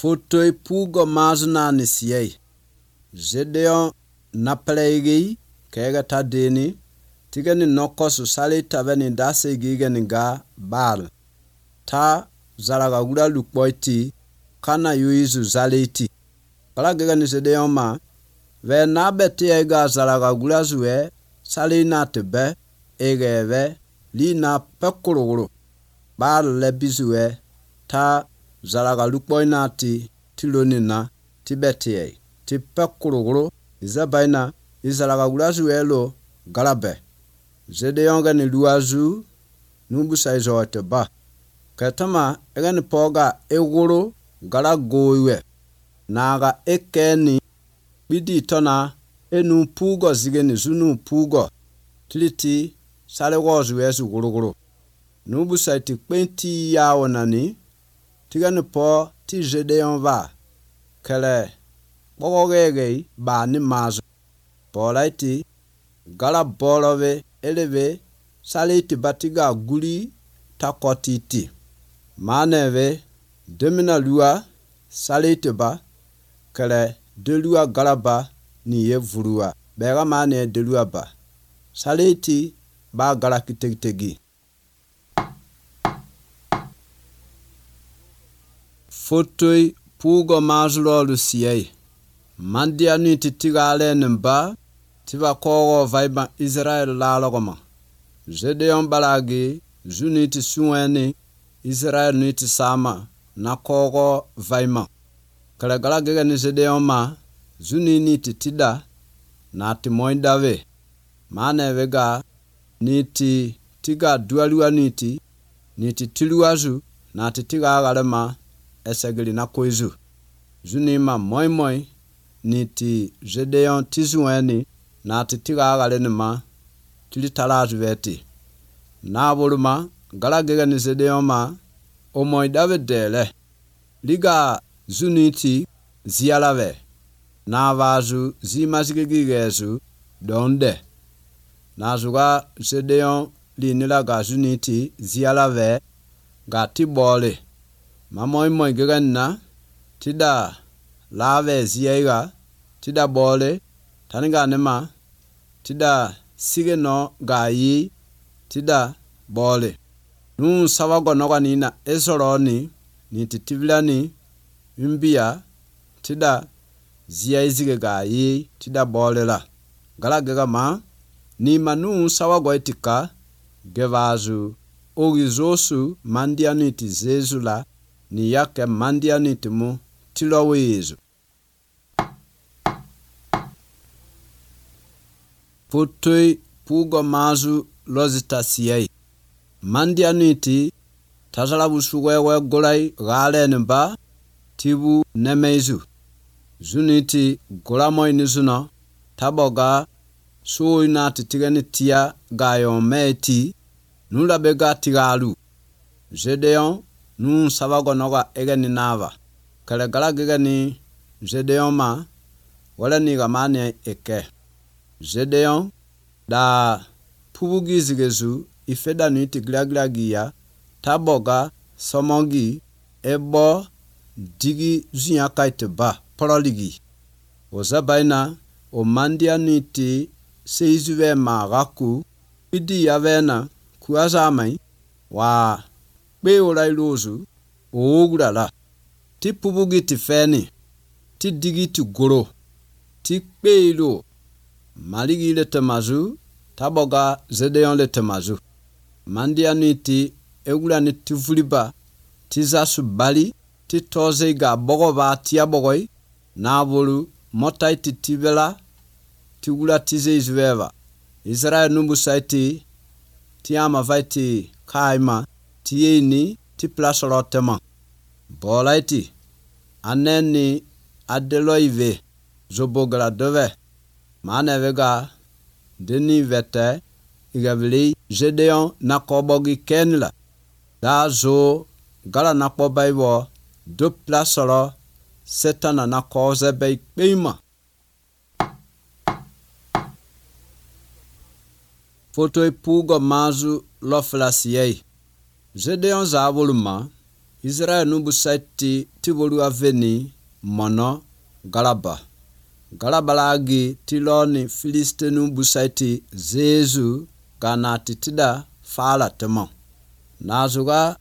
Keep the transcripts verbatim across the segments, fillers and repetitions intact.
Fotoi pugo mazna nisiyei. Gedeon napelegi kega tadeni tigani nokosu sali tabeni dase gigani ga bal. Ta zaraga gura lukboiti kana yuizu zaliti. Kala gigani Gedeon ma ve nabeti ega zaraga gura zuwe sali na tebe egeve li na pekuruguru. Bal lebizuwe ta zaraga lukboina ti tilonina tibetiye ti pekuruguru izabaina izaraga gurazuelo galabe. Gedeon gani luazu nubusa izote ba katama egani poga eguru gala goiwe naga ekeni bidi tona enu pugo zigeni zunu pugo tiliti sale gozu yesu guruguru nubusa iti kwenti yawonani tigani po ti Gedeon va kele bogogege ba ni mazu polaiti gala bolove eleve saliti batiga guli takotiti maneve demina lua saliti ba kele delua galaba ni yevurua bega mane delua ba saliti ba gala kitegitegi. Fotoi pugo mazlo lusiyei. Mandia ni titigale nimba tiba kogo vaiba Israel lalogoma. Gedeon balagi zuniti suweni Israel niti sama na kogo vaima. Kala gala gega ni Gedeon ma zuni niti tida na timoindave. Mane vega niti tiga dualua niti niti tiluazu na titiga agalema esegeli na koizu. Zunima moi moi niti Gedeon tizueni na titiga agalenima tilitalazu veti. Na voluma galagega ni Gedeon ma omoi davidele liga zuniti zialave na vazu zimazgigigezu donde. Na zuga Gedeon linila ga zuniti zialave ga tibole. Mamoi moi geganna tida lave ziega tida bole taniga nema tida sigeno gayi tida bole nun sawago noga nina esoroni ni titivilani imbia tida ziyaizige gayi tida bole la gala gega ma ni manu sawago etika gevazu ogizosu mandiani tizezula ni yake mandiani timu tilowezu. Fotoi pugo mazu lozita siyei. Mandiani ti tazalabu suwewe golai gale nimba tibu nemezu. Zuniti golamoi nizuna taboga suina titigani tia gayon meti nula bega tigalu. Gedeon nun sabago noga egeni nava kale gala gegani Gedeon ma wala ni gamane eke. Gedeon da pubugi zigezu ifeda nuiti glaglagia taboga somogi ebo digi zunya kaiteba proligi ozabaina o mandia nuiti seizuve magaku idi yavena kuazamai wa be olai lozu ogurala ti pubugi ti feni ti digi ti goro ti peilo maligi le temazu taboga Gedeon le temazu mandia niti egula ni tivuliba ti zasu bali ti toze ga bogoba ti abogoi na bolu motai ti tibela ti gula tize izveva Israel numbu saiti ti ama vaiti kaima ti yeni ti plasolotema bolaiti aneni adeloive zobogala dove manevega deni vete igavili Gedeon nakobogi kenla da zo gala nakobaibo do plasolo setana nakoze bei beima. Fotoi pugo mazu loflasiyei. Gedeon zavoluma Israel nubu saiti tibolu aveni mono galaba. Galabalagi tiloni Filiste nubu saiti zezu gana titida fala temo. Nazuga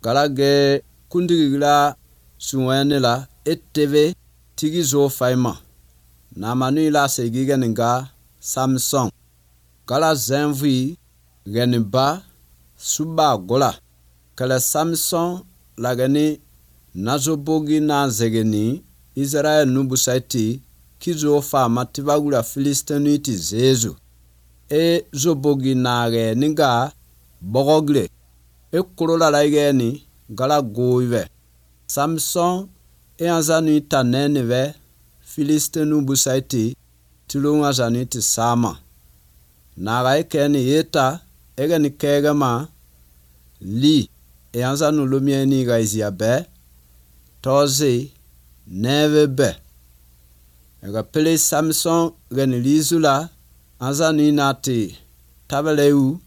galage kundigila suwenila eteve tigizo faima. Namanu ila segigeninga Samson. Gala zenvi geniba suba gola. Kala Samson lagani nazobogi na zegeni Israel nubu saiti kizo fama tibagula Filistenuiti zezu. E zobogi nage ninga bogogle. E kurola laigeni gala goive. Samson e anzanu taneneve Filistenu busaiti tilunga zaniti sama. Naga ekeni yeta egeni kegama li e anzanu lumieni gaizia be tozi neve be. Ega pele Samson geni lizula anzanu inati tabeleu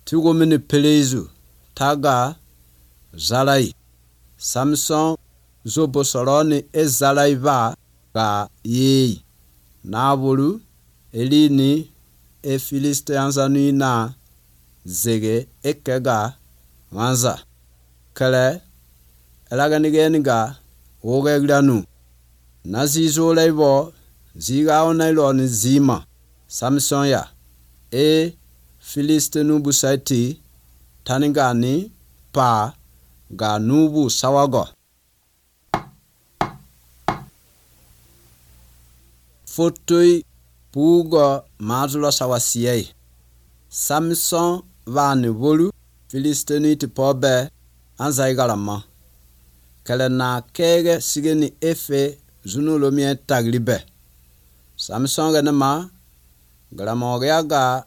tigomini pelezu taga zalai. Samson zobo soroni e zalai va ga yei. Nabulu elini e Filiste anzanu ina zege ekega wanza. Kale elaganigeniga ogeglanu. Nazizo leibo ziga onailoni zima. Samson ya e Filiste nubu saiti taningani pa ga nubu sawago. Fotoi pugo mazula sawasiyei. Samson vani volu Filistenuiti pobe anzaigalama. Kele na kege sigeni efe zunulomie taglibe. Samson genema galamogeaga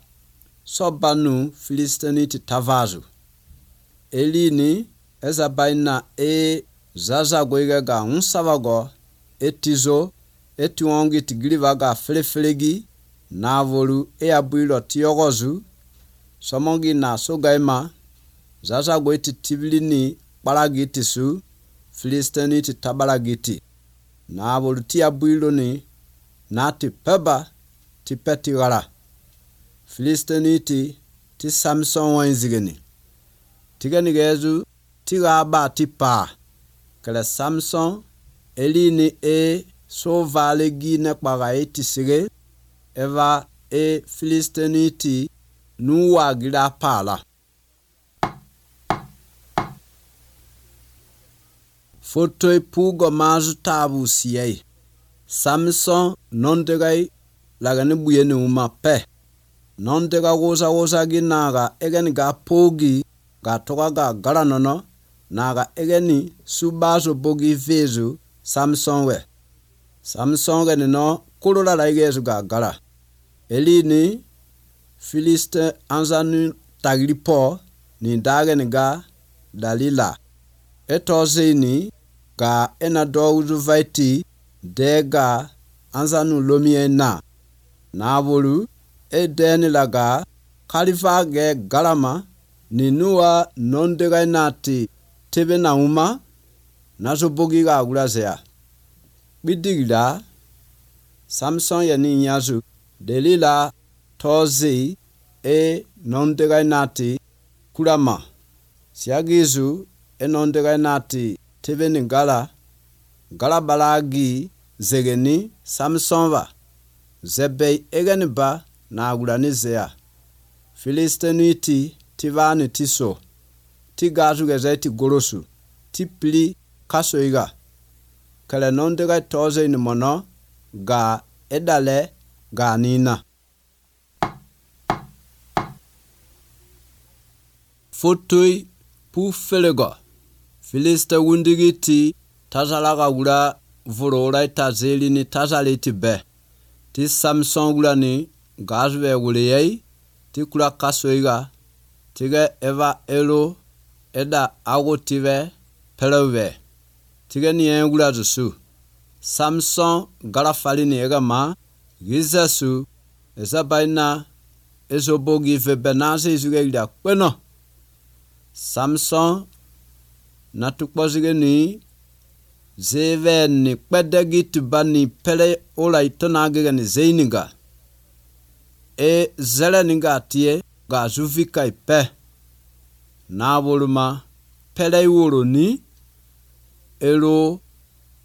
sobanu Filistenuiti tavazu. Elini ezabaina e zazagoiga ga unsavago etizo etuongi tigilivaga feleflegi navolu e abuilo tiogozu somongi na sogaima zazagoiti tibilini balagitisu Filistenuiti tabalagiti navolu ti abuilo ni nati peba ti petigala. Filistenuiti ti Samson wenzigeni. Tiganigezu tigaba ti pa. Kele Samson elini e so valegi nekpaga eti sige eva e Filistenuiti nuwa gira pala. Fotoi pugo mazu tabu siyei. Samson nondegai lagani buyeni uma pe. Nondega woza woza ginaga egeni ga pogi ga toga ga garanono naga egeni subazo bogi vezu Samson we. Samson geni no kulola laigezu ga gara. Elini Filiste anzanu taglipo ni dageni ga Dalila. Etozini ga enado uzuvaiti dega anzanu lomiena. Nabolu edeni laga kalifage galama ninua nondega nati tebe na uma nazo bogi ga agulazea. Bidigila Samson yani nyazu Delila tozi e nondega nati kulama. Siagizu e nondega nati tebe ni gala gala balagi zegeni Samson va. Zebei egeni ba na agulanizea. Filistenuiti tivani tiso. Tigazu gezeti gorosu. Tipli kasoiga. Kele nondega toze ni mono ga edale ga nina. Fotoi pu felego. Filiste wundigiti tazalaga gula vurora itazeli ni tazaliti be. Ti Samson gulani gazwe guleyei ti kula kasoiga tige eva elo eda agotive pelewe tige ni engula zusu. Samson galafalini ega ma gizesu ezabaina ezobogi vebenaze izuge ila kweno. Samson na tukpozige ni zeve ni kpedegi tibani pele ola itonagige ni zeiniga e zele niga tie ga zuvika ipe na boluma pele iworo ni elo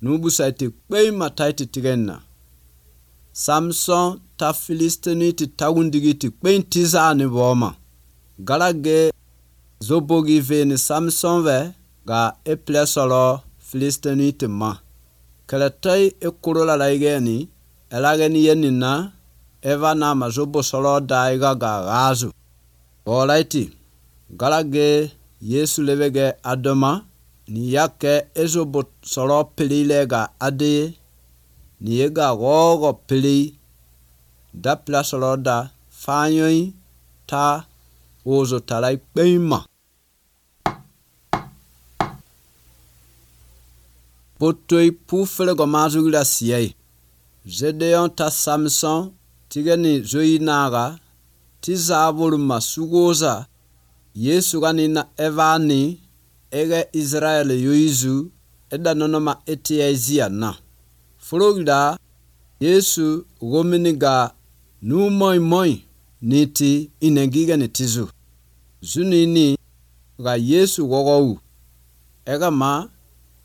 nubusaiti kpei mataiti tigenna Samson ta Filistini ti tawundigi ti kpei tiza ni boma galage zobogi ve ni Samson ve ga e plesolo Filistini ti ma keletai e kurola laigeni elageni yenina eva na mazobo solo daiga ga gazu olaiti galage Yesu levege adoma ni yake ezobo solo pilile ga ade ni ega gogo pili da plasolo da fanyoi ta ozo talai peima potoi pufele go mazugila siyai Gedeon ta Samson tigeni zoinaga tizabulu masugoza Yesu ganina evani ege Israel yuizu eda nonoma etiezia na Florida Yesu gominiga nu moi moi niti inegiga nitizu zunini ga Yesu gogo ega ma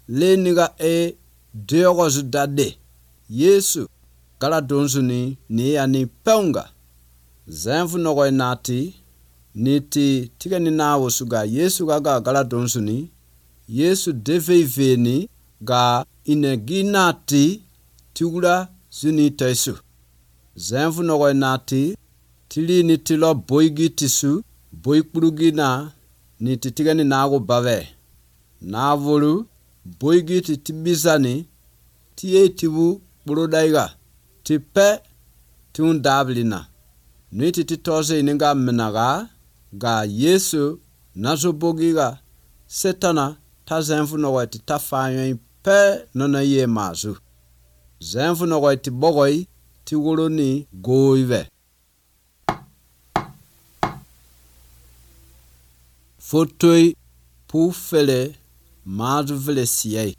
leniga e deogo zudade Yesu kala donzuni ni ani peunga zenfu nogo nati niti tigani nawo suga Yesu gaga kala donzuni Yesu deveveni ga ineginati tigula zuni tesu zenfu nogo nati tili nitilo boigi tisu boikpurugina niti tigani nago bave navolu boigi titibizani tie tibu burodaiga tipe tun dablina niti titoze ininga menaga ga Yesu nazobogiga setana ta zenfu nogo titafanyo pe nona ye mazu zenfu nogo tibogoi tiwoloni goive fotoi pufele mazu vele siyei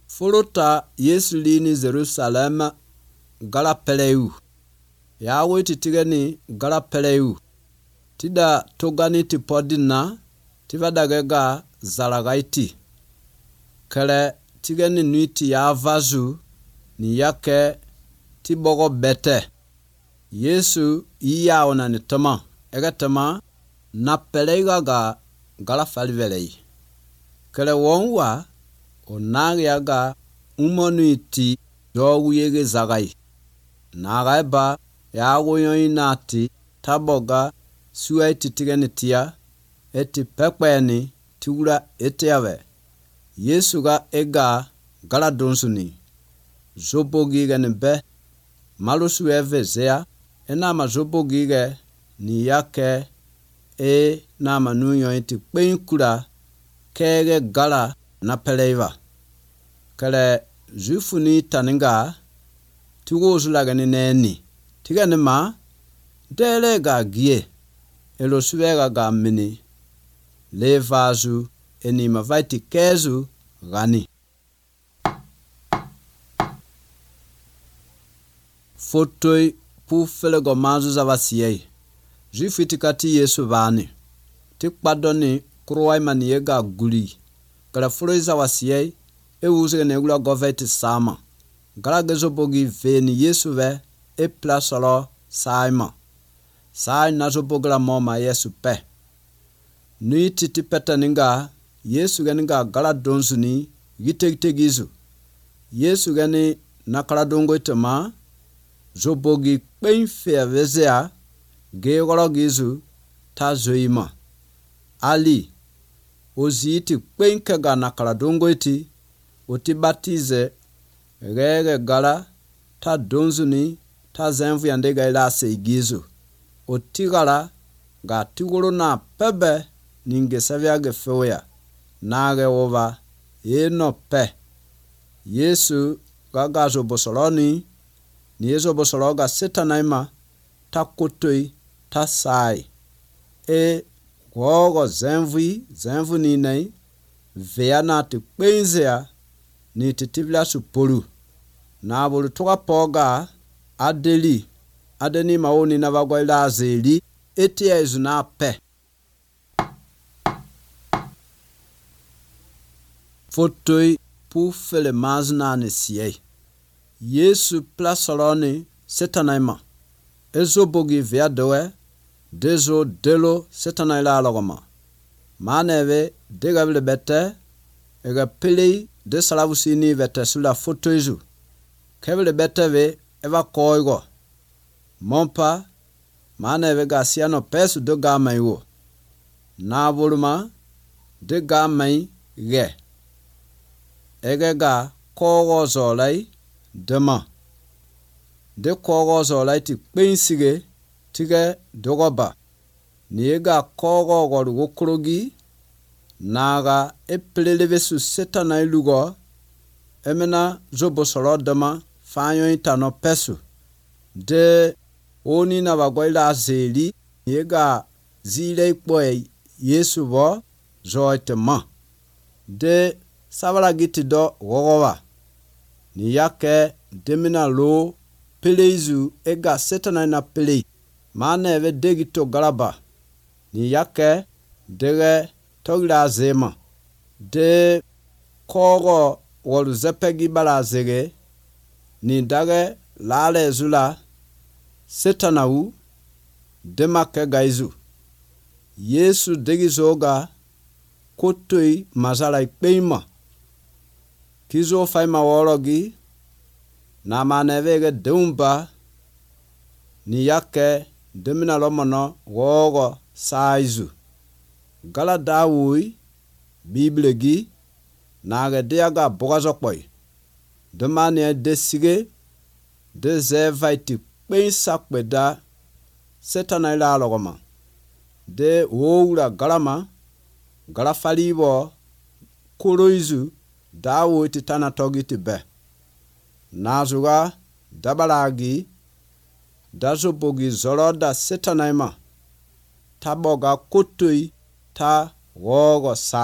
Folota Yesu lini Jerusalem gala peleu yawe titigani gala peleu tida togani tipodina tivadagega zalagaiti kele tigani nuiti ya vazu ni yake tibogo bete Yesu iya ona ni tama ega tama na peleiga ga gala falvelei kele wonwa onagi yaga umonuiti yogu yege zagai nagaiba yago yoinati taboga suaiti tigani tia eti pekweni tigura etiave Yesu ga ega gala donsuni zobogi gani be malusu eve zea ena ma zobogi ge ni yake e na manu yointi kpenkura kege gala na peleiva kale zufuni taninga tigo zulagani neni tigani ma dele ga gie elo suega ga mini levazu eni mavaiti kezu gani fotoi pufele go mazu zavasiyei zufitikati Yesu vani tikpadoni kurwai maniega guli kala fuloiza wasiyei e uzege negula goveti sama gala gezo bogi veni Yesu ve e plasolo saima sai nazo bogla moma Yesu pe nui titi petaninga Yesu ganinga gala donsuni gitegitegizu Yesu gani nakala dongo itama zobogi kpenfe vezea gegolo gizu ta zoima ali oziti kpenke ga nakala dongo iti oti batize gege gala ta donzuni ta zenvu yandega ila seigizu oti gala ga tigolo na pebe ninge savya ge feoya nage ova eno pe Yesu gaga zo bosoloni ni ezo bosologa setanaima ta kotoi ta sai e gogo zenvu zenvu ni nei vea na te kpenzea ni te tibla supolu na bolu toka poga adeli adeni maoni na bagwaila azeli etia izuna pe fotoi pu fele mazna ne siye Yesu plasoloni setanaima ezo bogi vea doe dezo delo setanaila logoma maneve degable bete ega pele de salavusini vete sula fotoizu kebele bete ve eva koigo mompa maneve gasiano pesu do gamai wo na voluma de gamai ge ege ga kogo zolai dema de kogo zolai ti kpensige tige dogoba niega kogo goru wokrogi naga epelelevesu setana ilugo emena zobo soro dema fanyo itano pesu de oni na bagwaila azeli niega zile ikpoe Yesu bo zoitema de sabala giti do gogowa ni yake demina lo peleizu ega setana na pelei mana eve degito galaba ni yake dege togira zema de kogo wolu zepegi bala zege ni dage lale zula setana u demake gaizu Yesu degi zoga kotoi mazala ikpeima kizo faima worogi na manevege deumba ni yake demina lomono wogo saizu gala dawui biblegi naga diaga bogazokpoi demane desige de zevaiti pensa kweda setana ila logoma de woura galama gala falibo koroizu dawo titana togiti be nazuga dabalagi dazobogi zoroda setanaima taboga kotoi ta wogo sai